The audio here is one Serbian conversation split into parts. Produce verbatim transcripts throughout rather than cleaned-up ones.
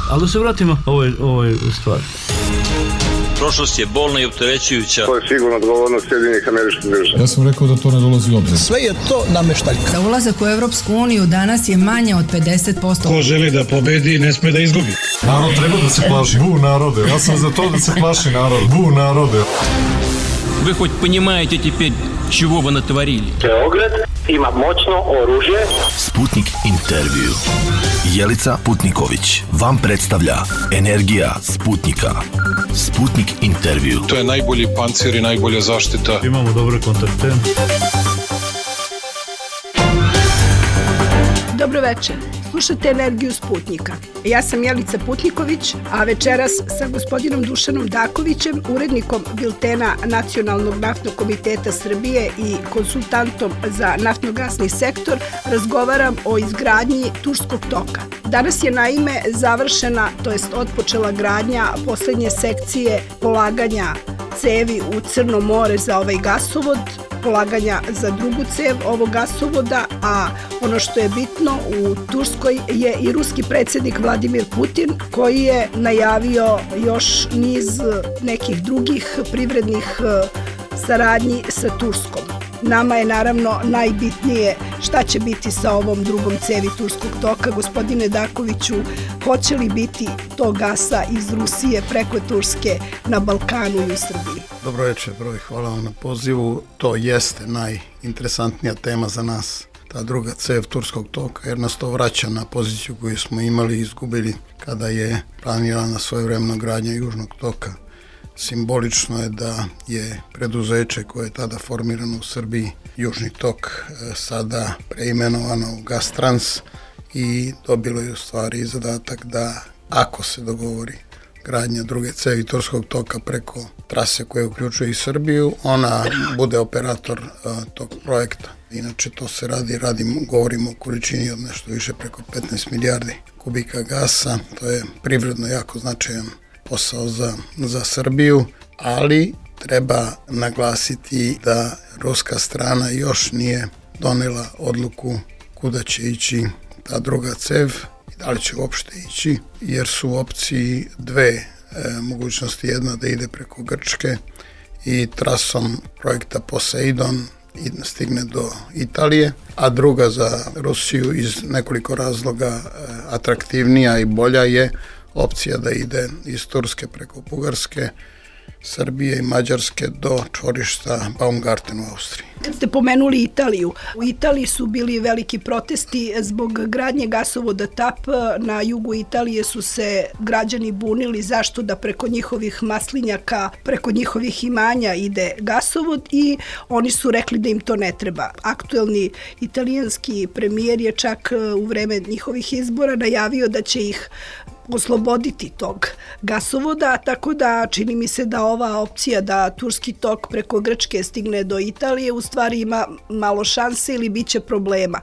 Ali da se vratimo ovoj, ovoj stvari. Prošlost je bolna i opterećujuća. To je sigurno odgovornost Sjedinjenih Američkih Država. Ja sam rekao da to ne dolazi u obzir. Sve je to nameštaljka. Za ulazak u Evropsku uniju danas je manje od pedeset posto. Ko želi da pobedi, ne sme da izgubi. Narod treba da se plaši. Bu narode. Ja sam za to da se plaši narod. Bu narode. Вы хоть понимаете теперь, чего вы натворили? Beograd ima moćno oružje. Sputnik intervju. Jelica Putniković vam predstavlja Energija Sputnika. Sputnik intervju. To je najbolji pancir i najbolja zaštita. Imamo dobre kontakte. Dobro večer. Slušate Energiju Sputnika. Ja sam Jelica Putniković, a večeras sa gospodinom Dušanom Dakovićem, urednikom biltena Nacionalnog naftnog komiteta Srbije i konsultantom za naftno-gasni sektor, razgovaram o izgradnji Turskog toka. Danas je naime završena, to jest otpočela gradnja poslednje sekcije polaganja cevi u Crno more za ovaj gasovod, polaganja za drugu cev ovog gasovoda, a ono što je bitno, u Turskoj je i ruski predsjednik Vladimir Putin, koji je najavio još niz nekih drugih privrednih saradnji sa Turskom. Nama je naravno najbitnije šta će biti sa ovom drugom cevi Turskog toka. Gospodine Dakoviću, hoće li biti to gasa iz Rusije preko Turske na Balkanu i u Srbiji? Dobro večer, broj, hvala vam na pozivu. To jeste najinteresantnija tema za nas, ta druga cev Turskog toka, jer nas to vraća na poziciju koju smo imali i izgubili kada je planirana svojevremeno gradnja Južnog toka. Simbolično je da je preduzeće koje je tada formirano u Srbiji, Južni tok, sada preimenovano u Gastrans i dobilo je u stvari zadatak da, ako se dogovori gradnja druge cevi Turskog toka preko trase koje uključuje i Srbiju, ona bude operator uh, tog projekta. Inače to se radi, radimo, govorimo o količini od nešto više preko petnaest milijardi kubika gasa, to je privredno jako značajan posao za, za Srbiju, ali treba naglasiti da ruska strana još nije donela odluku kuda će ići ta druga cev i da li će uopšte ići, jer su u opciji dve e, mogućnosti, jedna da ide preko Grčke i trasom projekta Poseidon i stigne do Italije, a druga za Rusiju iz nekoliko razloga e, atraktivnija i bolja je opcija da ide iz Turske preko Bugarske, Srbije i Mađarske do čvorišta Baumgarten u Austriji. Kad ste pomenuli Italiju, u Italiji su bili veliki protesti zbog gradnje gasovoda T A P. Na jugu Italije su se građani bunili zašto da preko njihovih maslinjaka, preko njihovih imanja ide gasovod i oni su rekli da im to ne treba. Aktuelni italijanski premijer je čak u vreme njihovih izbora najavio da će ih osloboditi tog gasovoda, tako da čini mi se da ova opcija da Turski tok preko Grčke stigne do Italije u stvari ima malo šanse ili bit će problema.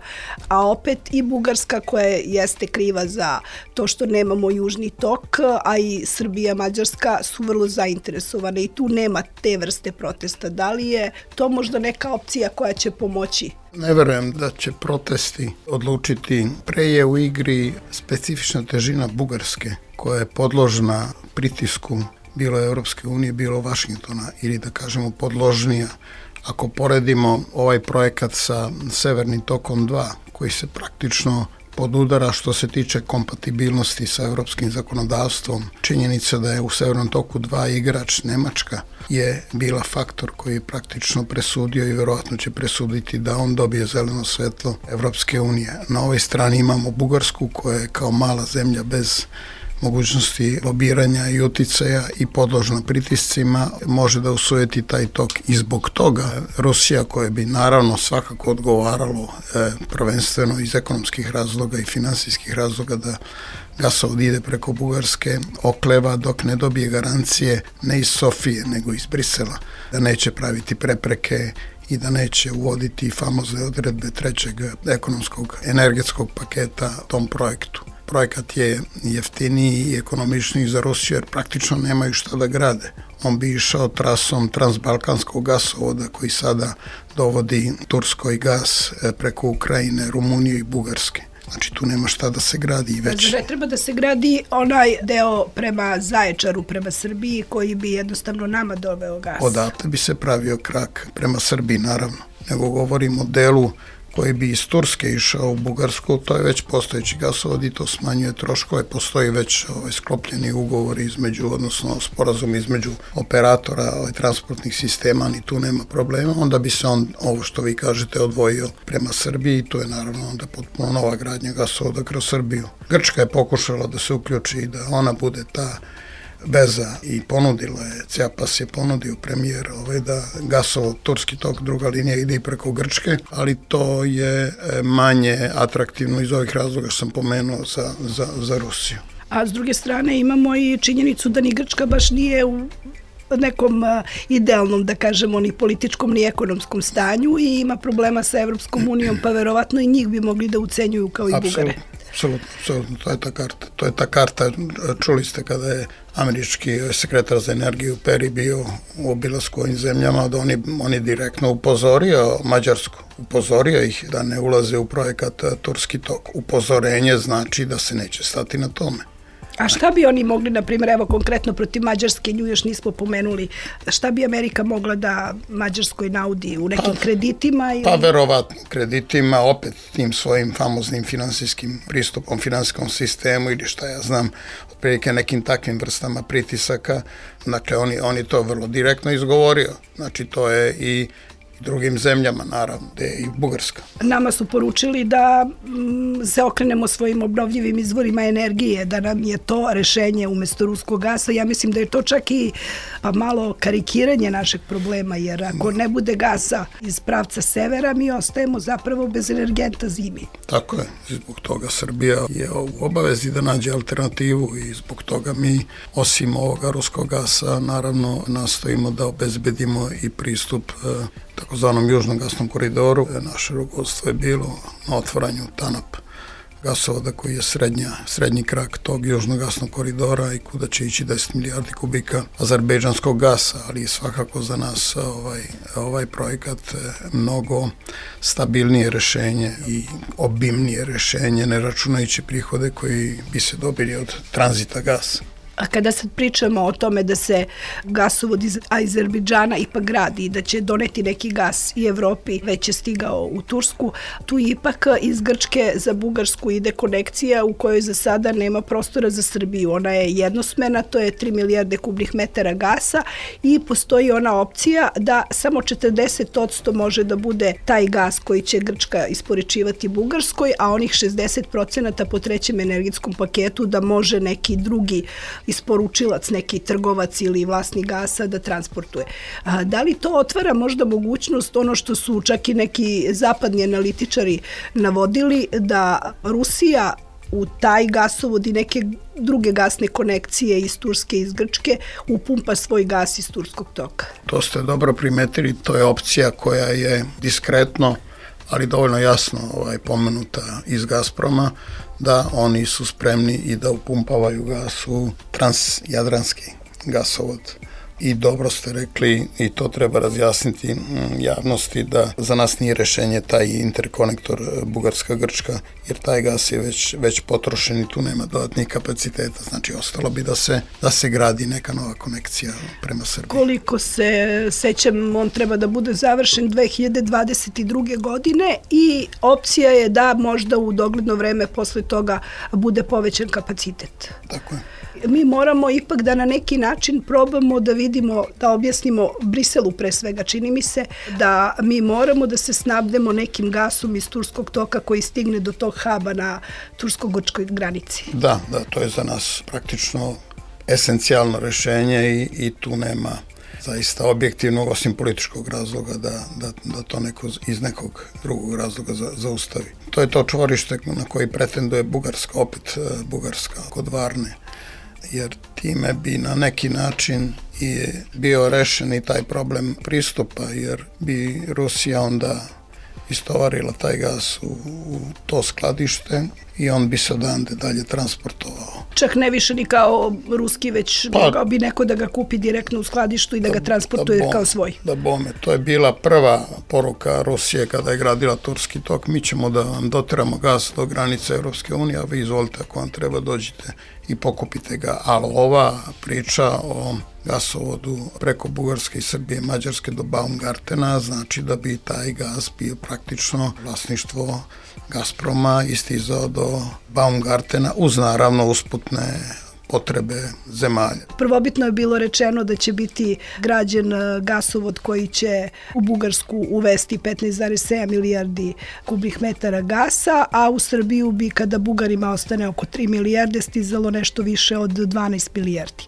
A opet i Bugarska, koja jeste kriva za to što nemamo Južni tok, a i Srbija, Mađarska su vrlo zainteresovane i tu nema te vrste protesta. Da li je to možda neka opcija koja će pomoći? Ne verujem da će protesti odlučiti. Pre je u igri specifična težina Bugarske, koja je podložna pritisku bilo Evropske unije, bilo Vašingtona, ili da kažemo podložnija. Ako poredimo ovaj projekat sa Severnim tokom dva, koji se praktično podudara što se tiče kompatibilnosti sa evropskim zakonodavstvom, činjenica da je u Severnom toku dva igrač Nemačka je bila faktor koji je praktično presudio i verovatno će presuditi da on dobije zeleno svetlo Evropske unije. Na ovoj strani imamo Bugarsku, koja je kao mala zemlja bez mogućnosti lobiranja i uticaja i podložna pritiscima, može da usujeti taj tok. I zbog toga Rusija, koja bi naravno svakako odgovaralo e, prvenstveno iz ekonomskih razloga i finansijskih razloga da gasovod ide preko Bugarske, okleva dok ne dobije garancije ne iz Sofije nego iz Brisela, da neće praviti prepreke i da neće uvoditi famozne odredbe trećeg ekonomskog energetskog paketa tom projektu. Projekat je jeftiniji i ekonomičniji za Rusiju jer praktično nemaju šta da grade. On bi išao trasom transbalkanskog gasovoda koji sada dovodi Turskoj gas preko Ukrajine, Rumunije i Bugarske. Znači tu nema šta da se gradi već. Ne treba da se gradi onaj deo prema Zaječaru, prema Srbiji, koji bi jednostavno nama doveo gas. Odatle bi se pravio krak prema Srbiji, naravno. Nego govorimo o delu koji bi iz Turske išao u Bugarsku, to je već postojeći gasovod i to smanjuje troškove, postoji već ovaj, sklopljeni ugovor između, odnosno sporazum između operatora ovaj, transportnih sistema, ni tu nema problema, onda bi se on, ovo što vi kažete, odvojio prema Srbiji i to je naravno onda potpuno nova gradnja gasovoda kroz Srbiju. Grčka je pokušala da se uključi i da ona bude ta veza i ponudila je, Ciapas je ponudio premijer ovaj, da gasovod turski tok druga linija ide i preko Grčke, ali to je manje atraktivno iz ovih razloga što sam pomenuo za, za, za Rusiju. A s druge strane imamo i činjenicu da ni Grčka baš nije u nekom idealnom, da kažemo, ni političkom ni ekonomskom stanju i ima problema sa Evropskom unijom, pa verovatno i njih bi mogli da ucenjuju kao i Bugare. Apsolutno, apsolutno, to je ta karta. To je ta karta, čuli ste kada je američki sekretar za energiju Peri bio u obilasku ovim zemljama, da oni, oni direktno upozorio Mađarsku, upozorio ih da ne ulaze u projekat Turski tok. Upozorenje znači da se neće stati na tome. A šta bi oni mogli, na primjer, evo konkretno protiv Mađarske, nju još nismo pomenuli, šta bi Amerika mogla da Mađarskoj naudi u nekim pa, kreditima? Ili... Pa verovatno kreditima, opet tim svojim famoznim finansijskim pristupom, finansijskom sistemu ili šta ja znam, otprilike nekim takvim vrstama pritisaka, dakle oni, oni to vrlo direktno izgovorio, znači to je i drugim zemljama, naravno, gde je i Bugarska. Nama su poručili da m, se okrenemo svojim obnovljivim izvorima energije, da nam je to rešenje umesto ruskog gasa. Ja mislim da je to čak i pa, malo karikiranje našeg problema, jer ako ne bude gasa iz pravca severa, mi ostajemo zapravo bez energenta zimi. Tako je. Zbog toga Srbija je u obavezi da nađe alternativu i zbog toga mi, osim ovoga ruskog gasa, naravno nastojimo da obezbedimo i pristup takozvanom južnom gasnom koridoru. Naše rukovodstvo je bilo na otvaranju TANAP gasovoda koji je srednja, srednji krak tog južnog gasnog koridora i kuda će ići deset milijardi kubika azerbejdžanskog gasa, ali svakako za nas ovaj, ovaj projekat mnogo stabilnije rešenje i obimnije rešenje, ne računajući prihode koji bi se dobili od tranzita gasa. A kada sad pričamo o tome da se gasovod iz Azerbejdžana ipak gradi i da će doneti neki gas i Evropi, već je stigao u Tursku, tu ipak iz Grčke za Bugarsku ide konekcija u kojoj za sada nema prostora za Srbiju. Ona je jednosmena, to je tri milijarde kubnih metara gasa i postoji ona opcija da samo četrdeset posto može da bude taj gas koji će Grčka isporučivati Bugarskoj, a onih šezdeset procenata po trećem energetskom paketu da može neki drugi isporučilac, neki trgovac ili vlasnik gasa da transportuje. A, da li to otvara možda mogućnost, ono što su čak i neki zapadni analitičari navodili, da Rusija u taj gasovod i neke druge gasne konekcije iz Turske i iz Grčke upumpa svoj gas iz turskog toka? To ste dobro primetili, to je opcija koja je diskretno, ali dovoljno jasno ovaj, pomenuta iz Gazproma, da oni su spremni i da upumpavaju gas u transjadranski gasovod. I dobro ste rekli, i to treba razjasniti javnosti, da za nas nije rešenje taj interkonektor Bugarska-Grčka, jer taj gas je već, već potrošen i tu nema dodatnih kapaciteta. Znači, ostalo bi da se, da se gradi neka nova konekcija prema Srbiji. Koliko se sećam, on treba da bude završen dve hiljade dvadeset druge. godine i opcija je da možda u dogledno vreme posle toga bude povećan kapacitet. Tako je. Mi moramo ipak da na neki način probamo da vidimo, da objasnimo Briselu pre svega, čini mi se, da mi moramo da se snabdemo nekim gasom iz turskog toka koji stigne do tog haba na tursko-grčkoj granici. Da, da, to je za nas praktično esencijalno rešenje i, i tu nema zaista objektivnog, osim političkog razloga, da, da, da to neko iz nekog drugog razloga za, zaustavi. To je to čvorište na koji pretenduje Bugarska, opet Bugarska kod Varne, jer time bi na neki način i bio rešen i taj problem pristupa, jer bi Rusija onda istovarila taj gas u, u to skladište i on bi se odande dalje transportovao Čak ne više ni kao ruski, već Pa- mogao bi neko da ga kupi direktno u skladištu i da ga transportuje bome, kao svoj. Da bome, to je bila prva poruka Rusije kada je gradila Turski tok, mi ćemo da vam doteramo gas do granice Evropske unije, a vi izvolite ako vam treba dođite i pokupite ga. Ali ova priča o gasovodu preko Bugarske i Srbije, Mađarske do Baumgartena, znači da bi taj gas bio praktično vlasništvo Gazproma i stizao do Baumgartena uz naravno usputne potrebe zemalja. Prvobitno je bilo rečeno da će biti građen e, gasovod koji će u Bugarsku uvesti petnaest zarez sedam milijardi kubnih metara gasa, a u Srbiju bi, kada Bugarima ostane oko tri milijarde, stizalo nešto više od dvanaest milijardi.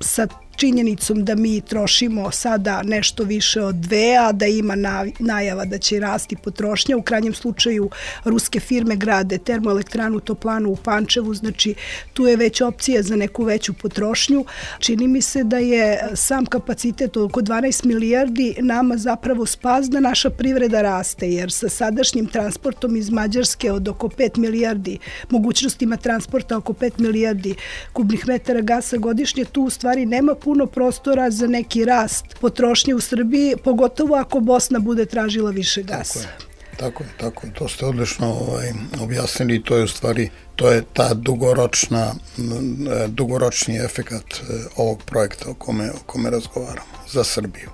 Sa činjenicom da mi trošimo sada nešto više od dve, a da ima najava da će rasti potrošnja. U krajnjem slučaju ruske firme grade termoelektranu Toplanu u Pančevu, znači tu je već opcija za neku veću potrošnju. Čini mi se da je sam kapacitet oko dvanaest milijardi nama zapravo spas da naša privreda raste, jer sa sadašnjim transportom iz Mađarske od oko pet milijardi, mogućnostima transporta oko pet milijardi kubnih metara gasa godišnje, tu u stvari nema puno prostora za neki rast potrošnje u Srbiji, pogotovo ako Bosna bude tražila više gasa. Tako je, tako je, tako je. To ste odlično ovaj, objasnili i to je u stvari, to je ta dugoročna, dugoročni efekat ovog projekta o kome, o kome razgovaramo za Srbiju.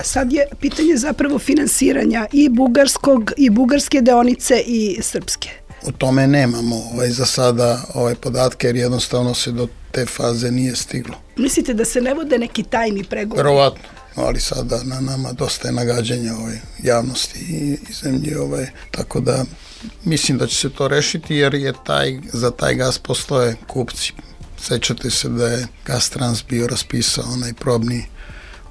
Sad je pitanje zapravo finansiranja i bugarskog, i bugarske deonice i srpske. U tome nemamo ovaj, za sada ovaj, podatke, jer jednostavno se do te faze nije stiglo. Mislite da se ne vode neki tajni pregovori? Verovatno, ali sada na nama dosta je nagađanja ovaj, javnosti i, i zemlji, ovaj, tako da mislim da će se to rešiti, jer je taj, za taj gas postoje kupci. Sećate se da je Gastrans bio raspisao onaj probni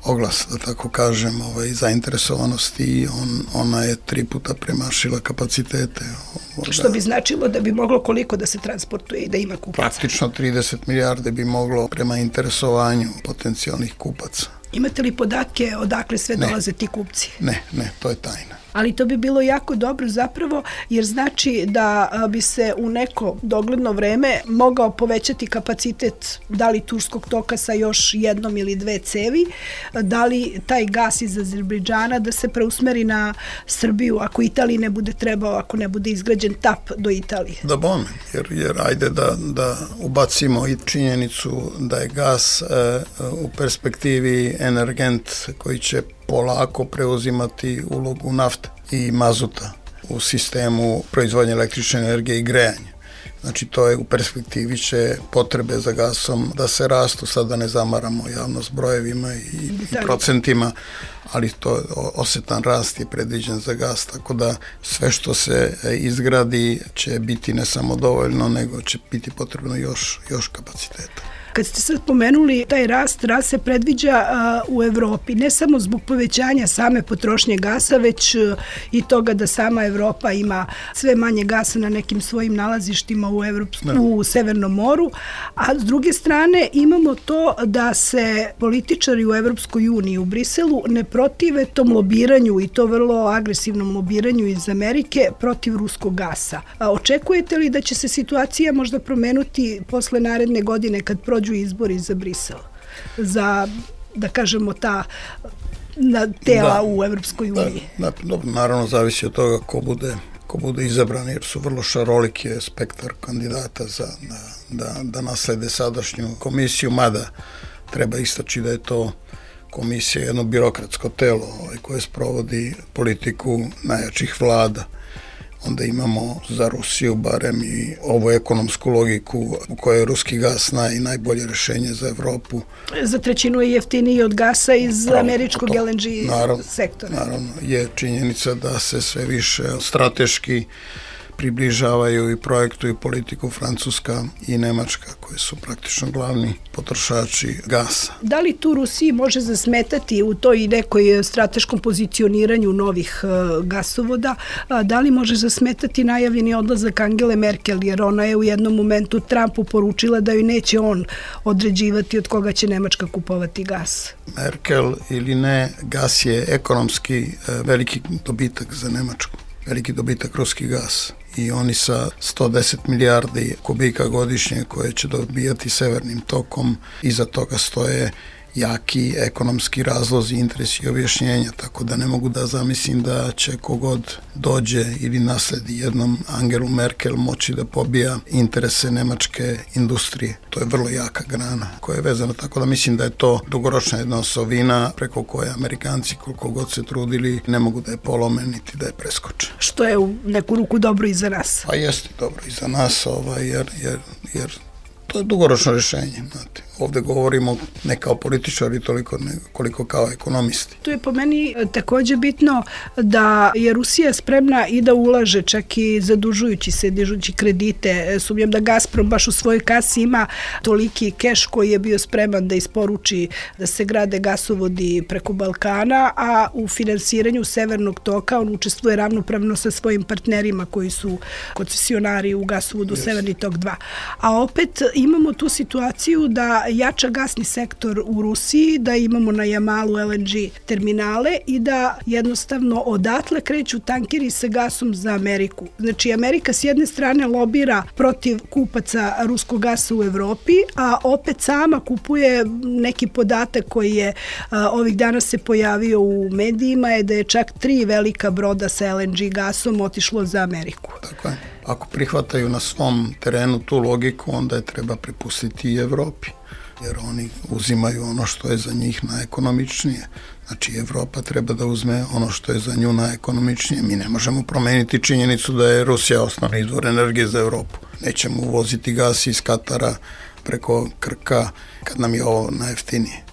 oglas, da tako kažem, ovaj, zainteresovanosti i on, ona je tri puta premašila kapacitete. Ovaj, Što bi značilo da bi moglo koliko da se transportuje i da ima kupaca? Praktično trideset milijarde bi moglo prema interesovanju potencijalnih kupaca. Imate li podatke odakle sve Ne. dolaze ti kupci? Ne, ne, to je tajna. Ali to bi bilo jako dobro zapravo, jer znači da a, bi se u neko dogledno vreme mogao povećati kapacitet da li Turskog toka sa još jednom ili dve cevi, da li taj gas iz Azerbejdžana da se preusmeri na Srbiju ako Italiji ne bude trebao, ako ne bude izgrađen tap do Italije. Da bome, jer, jer ajde da, da ubacimo i činjenicu da je gas e, u perspektivi energent koji će polako preuzimati ulogu nafte i mazuta u sistemu proizvodnje električne energije i grejanja. Znači to je u perspektivi će potrebe za gasom da se rastu, sad da ne zamaramo javnost brojevima i, i procentima, ali to osetan rast je predviđen za gas, tako da sve što se izgradi će biti ne samo dovoljno, nego će biti potrebno još, još kapaciteta. Kad ste sad pomenuli taj rast, rast se predviđa a, u Evropi, ne samo zbog povećanja same potrošnje gasa, već a, i toga da sama Evropa ima sve manje gasa na nekim svojim nalazištima u, Evropsku, u Severnom moru, a s druge strane imamo to da se političari u Evropskoj uniji, u Briselu, ne protive tom lobiranju i to vrlo agresivnom lobiranju iz Amerike protiv ruskog gasa. A očekujete li da će se situacija možda promenuti posle naredne godine kad prođu izbori za Brisel, za, da kažemo, ta na tela da, u Evropskoj uniji? Da, da, dobro, naravno zavisi od toga ko bude, ko bude izabran, jer su vrlo šaroliki spektar kandidata za, da, da, da naslede sadašnju komisiju, mada treba istaći da je to komisija jedno birokratsko telo ovaj, koje sprovodi politiku najjačih vlada. Onda imamo za Rusiju barem i ovu ekonomsku logiku u kojoj je ruski gas naj, najbolje rešenje za Evropu. Za trećinu je jeftiniji od gasa iz Pravo, američkog to, L N G naravno, sektora. Naravno, je činjenica da se sve više strateški približavaju i projektuju politiku Francuska i Nemačka, koje su praktično glavni potrošači gasa. Da li tu Rusiji može zasmetati u toj nekoj strateškom pozicioniranju novih uh, gasovoda, a, da li može zasmetati najavljeni odlazak Angele Merkel, jer ona je u jednom momentu Trumpu poručila da joj neće on određivati od koga će Nemačka kupovati gas? Merkel ili ne, gas je ekonomski uh, veliki dobitak za Nemačku. Veliki dobitak ruski gas. i oni sa sto deset milijardi kubika godišnje koje će dobijati severnim tokom, iza toga stoje jaki ekonomski razlozi, interesi i objašnjenja, tako da ne mogu da zamislim da će kogod dođe ili nasledi jednom Angelu Merkel moći da pobija interese nemačke industrije. To je vrlo jaka grana koja je vezana, tako da mislim da je to dugoročna jedna osovina preko koje Amerikanci koliko god se trudili ne mogu da je polome niti da je preskoče. Što je u neku ruku dobro i za nas. Pa jeste dobro i za nas, ovaj, jer, jer, jer to je dugoročno rješenje, znate. Ovde govorimo ne kao političari toliko ne, koliko kao ekonomisti. Tu je po meni takođe bitno da je Rusija spremna i da ulaže čak i zadužujući se, dižući kredite. Sumnjam da Gazprom baš u svojoj kasi ima toliki keš koji je bio spreman da isporuči da se grade gasovodi preko Balkana, a u finansiranju Severnog toka on učestvuje ravnopravno sa svojim partnerima koji su koncesionari u gasovodu yes. Severni tok dva. A opet imamo tu situaciju da jača gasni sektor u Rusiji, da imamo na Jamalu L N G terminale i da jednostavno odatle kreću tankeri sa gasom za Ameriku. Znači, Amerika s jedne strane lobira protiv kupaca ruskog gasa u Evropi, a opet sama kupuje neki podatak koji je a, ovih dana se pojavio u medijima, je da je čak tri velika broda sa L N G gasom otišlo za Ameriku. Tako je. Ako prihvataju na svom terenu tu logiku, onda je treba prepustiti i Evropi, jer oni uzimaju ono što je za njih najekonomičnije. Znači, Evropa treba da uzme ono što je za nju najekonomičnije. Mi ne možemo promeniti činjenicu da je Rusija osnovni izvor energije za Evropu. Nećemo uvoziti gas iz Katara preko Krka kad nam je ovo najjeftinije.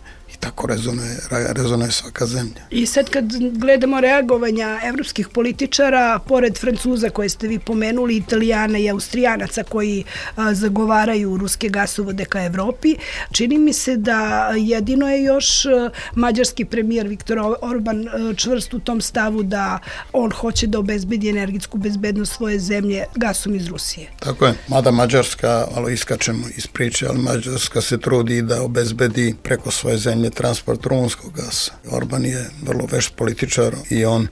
Tako rezonuje, rezonuje svaka zemlja. I sad kad gledamo reagovanja evropskih političara, pored Francuza koje ste vi pomenuli, Italijana i Austrijanaca koji a, zagovaraju ruske gasovode ka Evropi, čini mi se da jedino je još a, mađarski premijer Viktor Orban a, čvrst u tom stavu da on hoće da obezbedi energetsku bezbednost svoje zemlje gasom iz Rusije. Tako je. Mada Mađarska, malo iskačemo iz priče, ali Mađarska se trudi da obezbedi preko svoje zemlje transport rumunskog gasa. Orban je vrlo vešt političar i on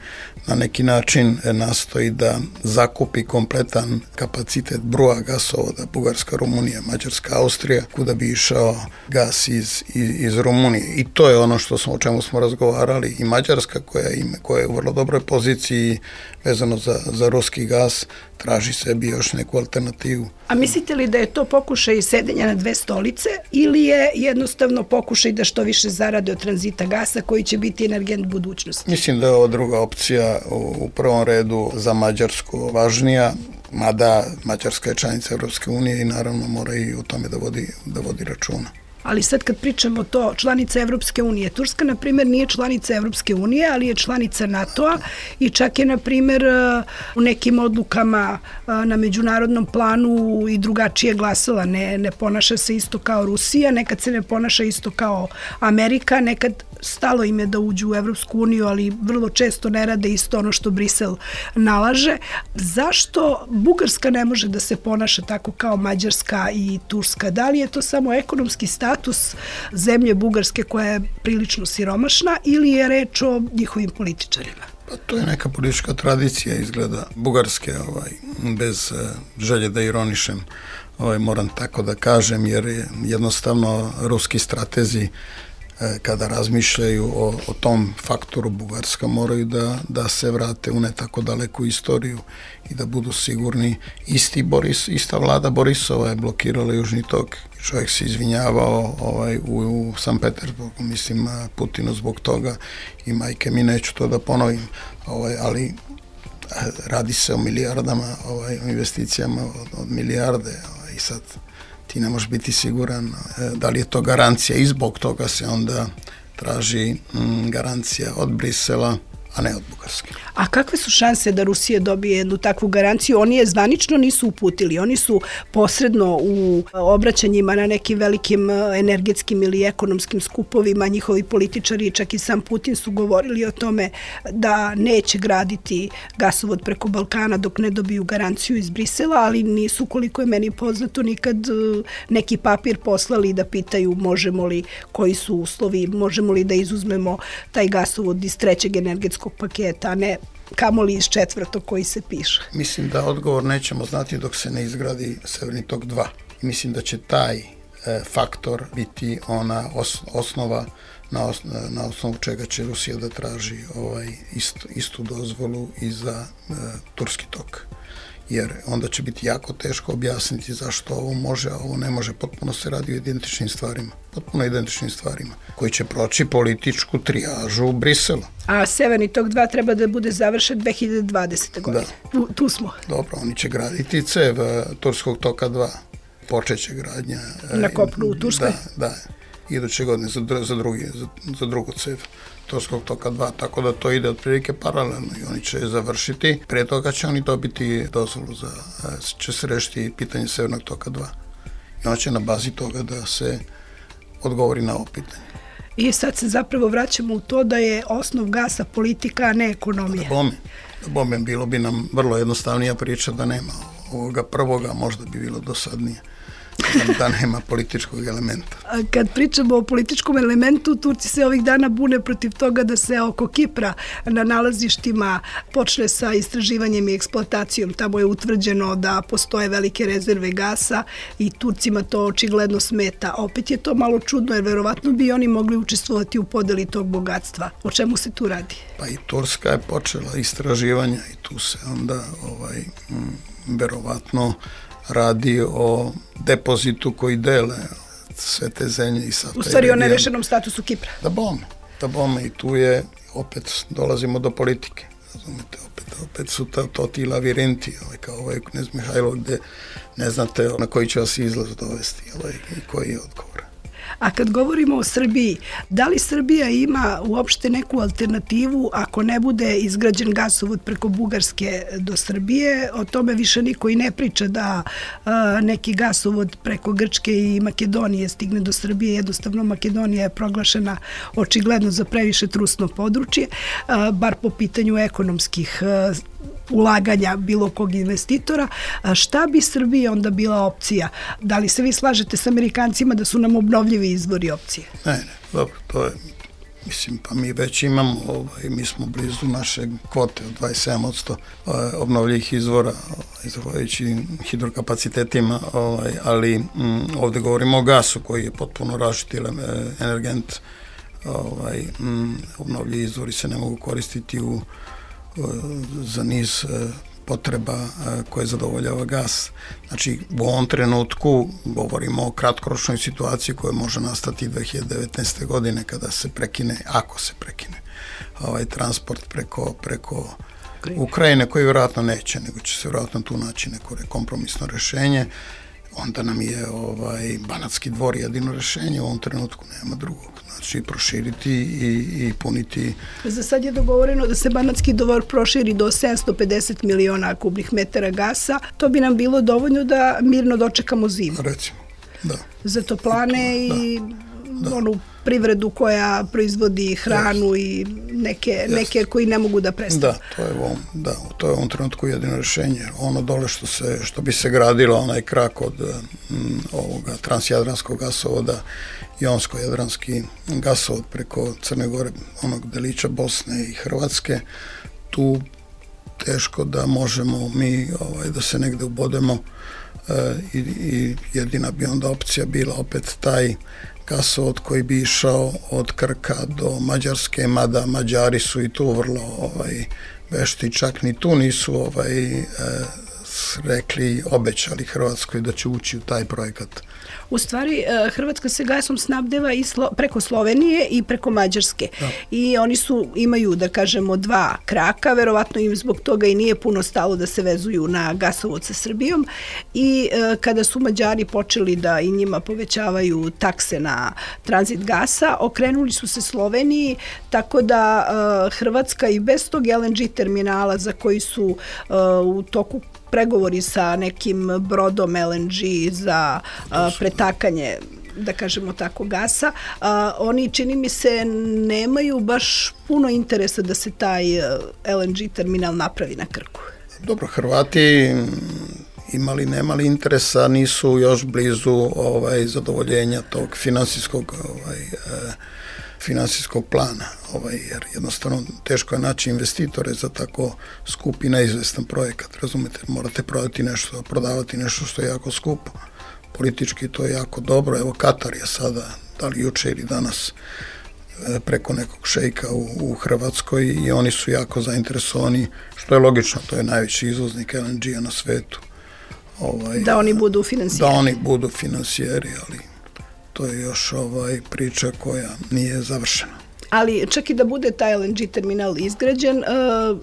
na neki način nastoji da zakupi kompletan kapacitet broja gasovoda Bugarska, Rumunija, Mađarska, Austrija, kuda bi išao gas iz, iz, iz Rumunije. I to je ono što smo, o čemu smo razgovarali. I Mađarska koja, ima, koja je u vrlo dobroj poziciji vezano za, za ruski gas, traži sebi još neku alternativu. A mislite li da je to pokušaj sedenja na dve stolice ili je jednostavno pokušaj da što više zarade od tranzita gasa koji će biti energent budućnosti? Mislim da je ovo druga opcija u prvom redu za Mađarsku važnija, mada Mađarska je članica Evropske unije i naravno mora i o tome da vodi, da vodi računa. Ali sad kad pričamo to, članica Evropske unije, Turska, na primjer, nije članica Evropske unije, ali je članica NATO-a i čak je, na primjer, u nekim odlukama na međunarodnom planu i drugačije glasala. Ne, ne ponaša se isto kao Rusija, nekad se ne ponaša isto kao Amerika, nekad stalo im je da uđu u Evropsku uniju, ali vrlo često ne rade isto ono što Brisel nalaže. Zašto Bugarska ne može da se ponaša tako kao Mađarska i Turska? Da li je to samo ekonomski status zemlje Bugarske koja je prilično siromašna ili je reč o njihovim političarima? Pa to je neka politička tradicija izgleda Bugarske, ovaj, bez uh, želje da ironišem, ovaj, moram tako da kažem, jer je jednostavno ruski stratezi kada razmišljaju o, o tom faktoru Bugarska moraju da, da se vrate u ne tako daleku istoriju i da budu sigurni. Isti Boris, ista vlada Borisova je blokirala Južni tok. Čovjek se izvinjavao ovaj, u, u San Petersburgu, mislim Putinu zbog toga i majke mi neću to da ponovim, ovaj, ali radi se o milijardama, ovaj, o investicijama od, od milijarde ovaj, i sad ti ne možeš biti siguran da li je to garancija i zbog toga se onda traži mm, garancija od Brisela, a ne od Bugarske. A kakve su šanse da Rusija dobije jednu takvu garanciju? Oni je zvanično nisu uputili. Oni su posredno u obraćanjima na nekim velikim energetskim ili ekonomskim skupovima, njihovi političari, čak i sam Putin su govorili o tome da neće graditi gasovod preko Balkana dok ne dobiju garanciju iz Brisela, ali nisu, koliko je meni poznato, nikad neki papir poslali da pitaju možemo li, koji su uslovi, možemo li da izuzmemo taj gasovod iz trećeg energetskog paketa, a ne kamoli iz četvrtog koji se piše? Mislim da odgovor nećemo znati dok se ne izgradi Severni tok dva. I mislim da će taj e, faktor biti ona os, osnova na, os, na osnovu čega će Rusija da traži ovaj istu, istu dozvolu i za e, Turski tok. Jer onda će biti jako teško objasniti zašto ovo može, a ovo ne može. Potpuno se radi o identičnim stvarima. Potpuno identičnim stvarima, koji će proći političku trijažu u Briselu. A Severni tok dva treba da bude završen dve hiljade dvadesete. godine. Da. Tu, tu smo. Dobro, oni će graditi cev Turskog toka dva. Počeće gradnja. Na kopnu u Turskoj? Da, da. Iduće godine za, za, drugi, za, za drugu cev Turskog toka dva, tako da to ide otprilike paralelno i oni će završiti. Pre toga će oni dobiti dozvolu za, će se rešiti pitanje Severnog toka dva. I on će na bazi toga da se odgovori na ovo pitanje. I sad se zapravo vraćamo u to da je osnov gasa politika, a ne ekonomija. Da bome, da bome, bilo bi nam vrlo jednostavnija priča da nema ovoga prvoga, možda bi bilo dosadnije. Da nema političkog elementa. Kad pričamo o političkom elementu, Turci se ovih dana bune protiv toga da se oko Kipra na nalazištima počne sa istraživanjem i eksploatacijom. Tamo je utvrđeno da postoje velike rezerve gasa i Turcima to očigledno smeta. Opet je to malo čudno jer verovatno bi oni mogli učestvovati u podeli tog bogatstva. O čemu se tu radi? Pa i Turska je počela istraživanja i tu se onda ovaj, m, verovatno radi o depozitu koji dele sve te zemlje i sad. U stvari o nerešenom statusu Kipra. Da bome, da bome i tu je, opet dolazimo do politike. Razumete, opet, opet su to, to ti lavirinti, ovaj, kao ovaj knez Mihajlo, gde ne znate na koji će vas izlaz dovesti ovaj, i koji je odgovor. A kad govorimo o Srbiji, da li Srbija ima uopšte neku alternativu ako ne bude izgrađen gasovod preko Bugarske do Srbije? O tome više niko i ne priča da a, neki gasovod preko Grčke i Makedonije stigne do Srbije. Jednostavno Makedonija je proglašena očigledno za previše trusno područje, a, bar po pitanju ekonomskih a, ulaganja bilo kog investitora. A šta bi Srbiji onda bila opcija? Da li se vi slažete s Amerikancima da su nam obnovljivi izvori opcije? Ne, ne, dobro, to je, mislim, pa mi već imamo, ovaj, mi smo blizu naše kvote od dvadeset sedam posto ovaj, obnovljivih izvora, ovaj, zahvaljujući hidrokapacitetima, ovaj, ali m, ovde govorimo o gasu koji je potpuno različiti energent, ovaj, m, obnovljivi izvori se ne mogu koristiti u za niz potreba koje zadovoljava gas. Znači, u ovom trenutku govorimo o kratkoročnoj situaciji koja može nastati dve hiljade devetnaeste. godine kada se prekine, ako se prekine, ovaj transport preko, preko Ukrajine, koji vjerojatno neće, nego će se vjerojatno tu naći neko kompromisno rešenje. Onda nam je ovaj Banatski dvor jedino rešenje, u ovom trenutku nema drugog. Znači, proširiti i, i puniti. Za sad je dogovoreno da se Banatski dvor proširi do sedamsto pedeset miliona kubnih metara gasa. To bi nam bilo dovoljno da mirno dočekamo zimu. Recimo, da. Za toplane i, to, i da, onu da. privredu koja proizvodi hranu yes. i neke, yes. neke koji ne mogu da prestanu. Da, to je u ovom, da, to je u ovom trenutku jedino rešenje. Ono dole što, se, što bi se gradilo, onaj krak od m, ovoga transjadranskog gasovoda, Jonsko-jadranski gasovod preko Crne Gore, onog delića Bosne i Hrvatske, tu teško da možemo mi ovaj, da se negde ubodemo e, i, i jedina bi onda opcija bila opet taj gasovod koji bi išao od Krka do Mađarske, mada Mađari su i tu vrlo ovaj, vešti, čak ni tu nisu ovaj, e, rekli, obećali Hrvatskoj da će ući u taj projekat. U stvari, Hrvatska se gasom snabdeva i slo, preko Slovenije i preko Mađarske. Da. I oni su, imaju, da kažemo, dva kraka, verovatno im zbog toga i nije puno stalo da se vezuju na gasovod sa Srbijom. I e, kada su Mađari počeli da i njima povećavaju takse na tranzit gasa, okrenuli su se Sloveniji, tako da e, Hrvatska i bez tog el en ge terminala za koji su e, u toku pregovori sa nekim brodom el en ge za a, pretakanje, da kažemo tako, gasa, a, oni, čini mi se, nemaju baš puno interesa da se taj el en ge terminal napravi na Krku. Dobro, Hrvati imali, nemali interesa, nisu još blizu ovaj, zadovoljenja tog finansijskog ovaj, finansijskog plana, ovaj, jer jednostavno teško je naći investitore za tako skup i neizvestan projekat, razumete, morate prodati nešto, prodavati nešto što je jako skupo. Politički to je jako dobro, evo Katar je sada, da li juče ili danas, preko nekog šejka u, u Hrvatskoj i oni su jako zainteresovani, što je logično, to je najveći izvoznik L N G-a na svetu. Ovaj, da oni budu finansijeri. Da oni budu finansijeri, ali to je još ovaj priča koja nije završena. Ali čak i da bude taj L N G terminal izgrađen,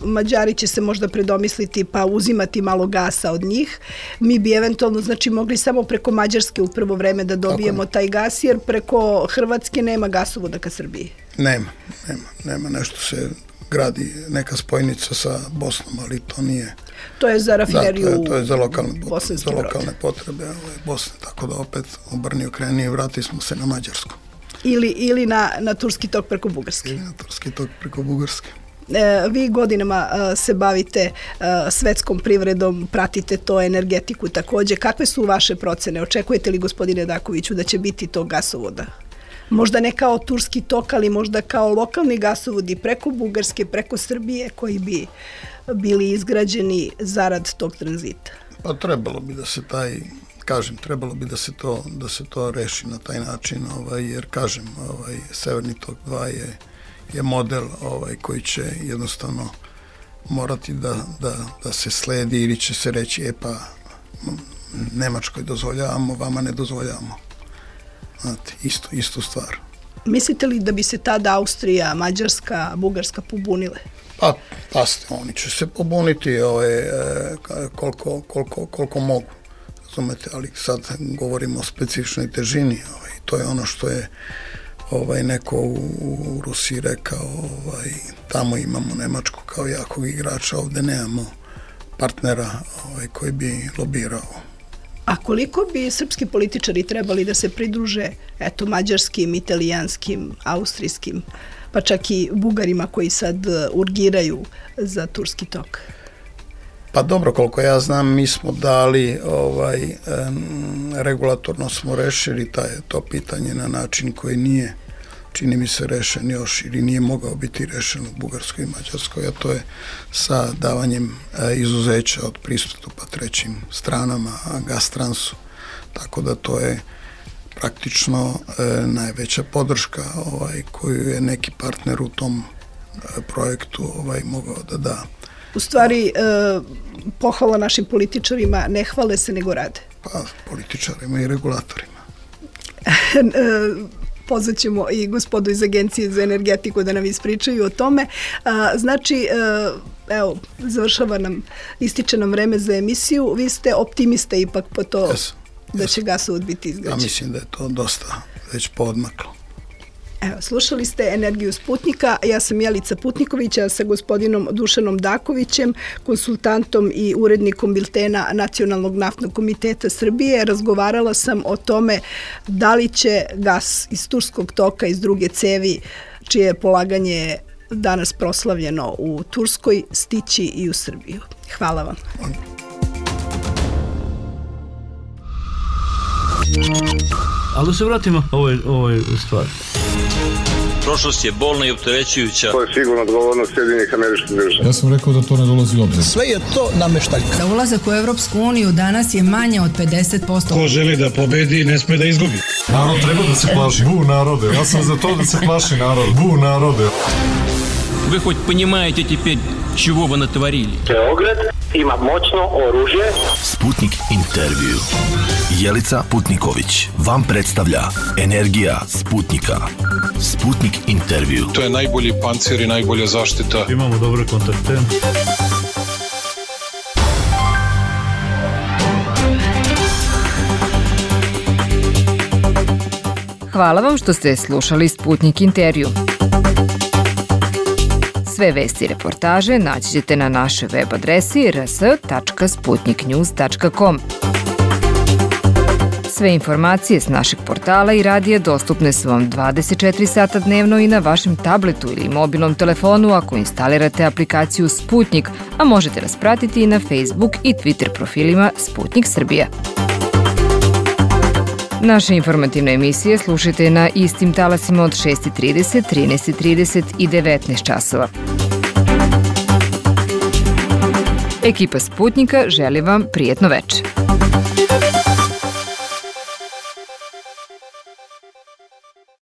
Mađari će se možda predomisliti pa uzimati malo gasa od njih. Mi bi eventualno znači mogli samo preko Mađarske u prvo vreme da dobijemo taj gas, jer preko Hrvatske nema gasovoda ka Srbiji. Nema, nema, nema. Nešto se gradi neka spojnica sa Bosnom, ali to nije... To je za rafineriju. Da, to je, to je za lokalne potrebe, za lokalne potrebe ovaj, Bosne, tako da opet obrni okreni i vrati smo se na Mađarsku. Ili, ili na, na Turski tok preko Bugarske. Ili na Turski tok preko Bugarske. E, vi godinama a, se bavite a, svetskom privredom, pratite to, energetiku takođe. Kakve su vaše procene? Očekujete li, gospodine Dakoviću, da će biti tog gasovoda? Možda ne kao Turski tok, ali možda kao lokalni gasovodi preko Bugarske, preko Srbije, koji bi bili izgrađeni zarad tog tranzita? Pa trebalo bi da se taj... Kažem, trebalo bi da se to, da se to reši na taj način, ovaj, jer kažem, ovaj, Severni tok dva je, je model ovaj, koji će jednostavno morati da, da, da se sledi ili će se reći, e pa Nemačkoj dozvoljavamo, vama ne dozvoljavamo. Znate, isto, istu stvar. Mislite li da bi se tada Austrija, Mađarska, Bugarska pobunile? Pa, pasite, oni će se pobuniti ovaj, koliko, koliko, koliko mogu. Razumete, ali sad govorimo o specifičnoj težini, ovaj, to je ono što je ovaj, neko u, u Rusiji rekao, ovaj, tamo imamo Nemačku kao jakog igrača, ovde nemamo partnera ovaj, koji bi lobirao. A koliko bi srpski političari trebali da se pridruže eto, mađarskim, italijanskim, austrijskim, pa čak i Bugarima koji sad urgiraju za Turski tok? Pa dobro, koliko ja znam, mi smo dali, ovaj, um, regulatorno smo rešili taj, to pitanje na način koji nije, čini mi se, rešen još ili nije mogao biti rešen u Bugarskoj i Mađarskoj, a to je sa davanjem e, izuzeća od pristupa trećim stranama, Gastransu, tako da to je praktično e, najveća podrška ovaj, koju je neki partner u tom e, projektu ovaj, mogao da da. U stvari, e, pohvala našim političarima, ne hvale se nego rade. Pa, političarima i regulatorima. Pozvat ćemo i gospodu iz Agencije za energetiku da nam ispričaju o tome. A, znači, e, evo, završava nam, ističe nam vreme za emisiju. Vi ste optimista ipak po to yes, da yes. će gasovod biti izgrađen. Ja mislim da je to dosta već poodmaklo. Evo, slušali ste Energiju Sputnika, ja sam Jelica Putniković, a sa gospodinom Dušanom Dakovićem, konsultantom i urednikom biltena Nacionalnog naftnog komiteta Srbije, razgovarala sam o tome da li će gas iz Turskog toka, iz druge cevi, čije je polaganje danas proslavljeno u Turskoj, stići i u Srbiju. Hvala vam. Ali da se vratimo ovoj, ovoj stvari. Prošlost je bolna i opterećujuća. To je sigurno odgovornost Sjedinjenih Američkih Država. Ja sam rekao da to ne dolazi u obzir. Sve je to nameštaljka. Za ulazak u Evropsku uniju danas je manje od pedeset posto. Ko želi da pobedi, ne sme da izgubi. Narod treba da se plaši. Bu narode. Ja sam za to da se plaši narod. Bu narode. Вы хоть понимаете теперь, чего вы натворили? Beograd ima moćno oružje. Sputnik intervju. Jelica Putniković vam predstavlja Energija Sputnika. Sputnik intervju. To je najbolji pancir i najbolja zaštita. Imamo dobre kontakte. Hvala vam što ste slušali Sputnik intervju. Sve vesti i reportaže naći ćete na našoj web adresi r s tačka sputnik news tačka com. Sve informacije s našeg portala i radija dostupne su vam dvadeset četiri sata dnevno i na vašem tabletu ili mobilnom telefonu ako instalirate aplikaciju Sputnik, a možete nas pratiti i na Facebook i Twitter profilima Sputnik Srbija. Naše informativne emisije slušajte na istim talasima od šest i trideset, trinaest i trideset i devetnaest časova. Ekipa Sputnika želi vam prijetno veče.